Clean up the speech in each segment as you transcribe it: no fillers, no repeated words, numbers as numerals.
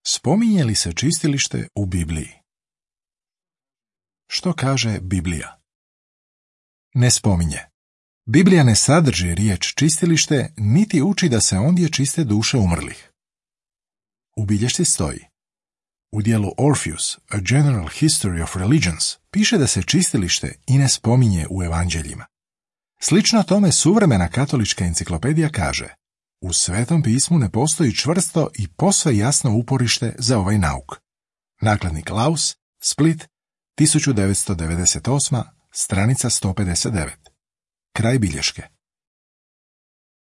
Spominje li se čistilište u Bibliji? Što kaže Biblija? Ne spominje. Biblija ne sadrži riječ čistilište, niti uči da se ondje čiste duše umrlih. U bilješci stoji: u dijelu Orpheus, A General History of Religions, piše da se čistilište i ne spominje u evanđeljima. Slično tome suvremena katolička enciklopedija kaže: u Svetom pismu ne postoji čvrsto i posve jasno uporište za ovaj nauk. Nakladnik Laus, Split, 1998, stranica 159. Kraj bilješke.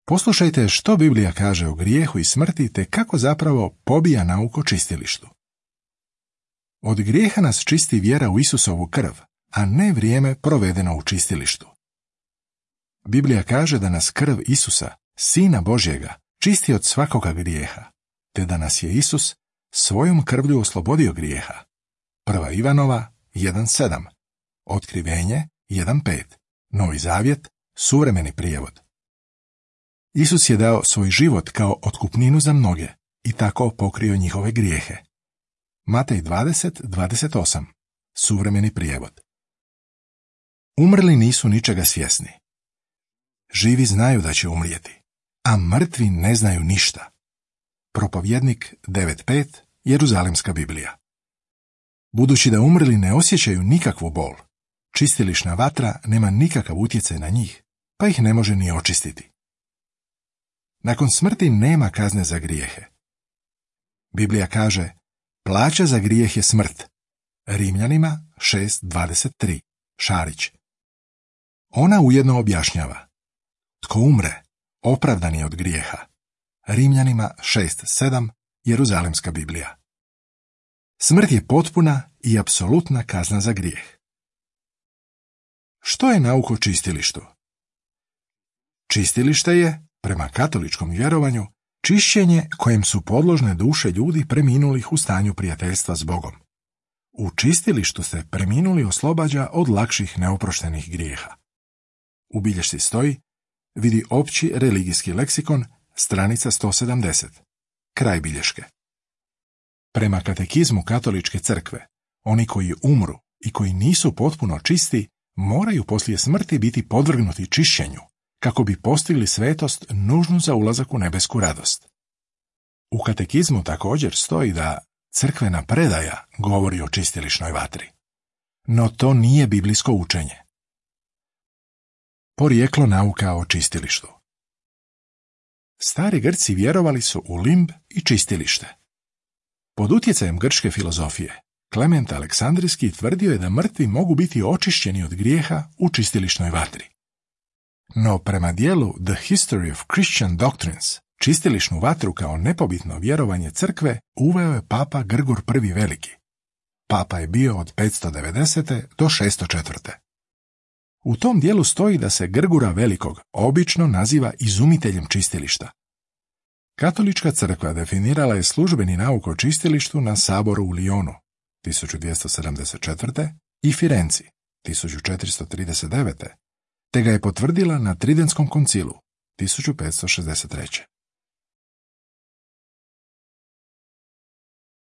Poslušajte što Biblija kaže o grijehu i smrti te kako zapravo pobija nauk o čistilištu. Od grijeha nas čisti vjera u Isusovu krv, a ne vrijeme provedeno u čistilištu. Biblija kaže da nas krv Isusa, Sina Božjega, čisti od svakoga grijeha, te da nas je Isus svojom krvlju oslobodio grijeha. 1. Ivanova 1.7, Otkrivenje 1.5, Novi Zavjet, suvremeni prijevod. Isus je dao svoj život kao otkupninu za mnoge i tako pokrio njihove grijehe. Matej 20.28, suvremeni prijevod. Umrli nisu ničega svjesni. Živi znaju da će umrijeti, a mrtvi ne znaju ništa. Propovjednik 9.5, Jeruzalemska Biblija. Budući da umrli ne osjećaju nikakvu bol, čistilišna vatra nema nikakav utjecaj na njih, pa ih ne može ni očistiti. Nakon smrti nema kazne za grijehe. Biblija kaže: plaća za grijeh je smrt. Rimljanima 6.23, Šarić. Ona ujedno objašnjava: tko umre, opravdan je od grijeha. Rimljanima 6.7, Jeruzalemska Biblija. Smrt je potpuna i apsolutna kazna za grijeh. Što je nauk o čistilištu? Čistilište je, prema katoličkom vjerovanju, čišćenje kojem su podložne duše ljudi preminulih u stanju prijateljstva s Bogom. U čistilištu se preminuli oslobađa od lakših neoproštenih grijeha. U bilješci stoji: vidi opći religijski leksikon, stranica 170. Kraj bilješke. Prema katekizmu katoličke crkve, oni koji umru i koji nisu potpuno čisti moraju poslije smrti biti podvrgnuti čišćenju, kako bi postigli svetost nužnu za ulazak u nebesku radost. U katekizmu također stoji da crkvena predaja govori o čistilišnoj vatri. No to nije biblijsko učenje. Porijeklo nauka o čistilištu. Stari Grci vjerovali su u limb i čistilište. Pod utjecajem grčke filozofije, Klement Aleksandrijski tvrdio je da mrtvi mogu biti očišćeni od grijeha u čistilišnoj vatri. No prema dijelu The History of Christian Doctrines, čistilišnu vatru kao nepobitno vjerovanje crkve uveo je papa Grgur I Veliki. Papa je bio od 590. do 604. U tom dijelu stoji da se Grgura Velikog obično naziva izumiteljem čistilišta. Katolička crkva definirala je službeni nauk o čistilištu na saboru u Lyonu 1274. i Firenci 1439. te ga je potvrdila na Tridentskom koncilu 1563.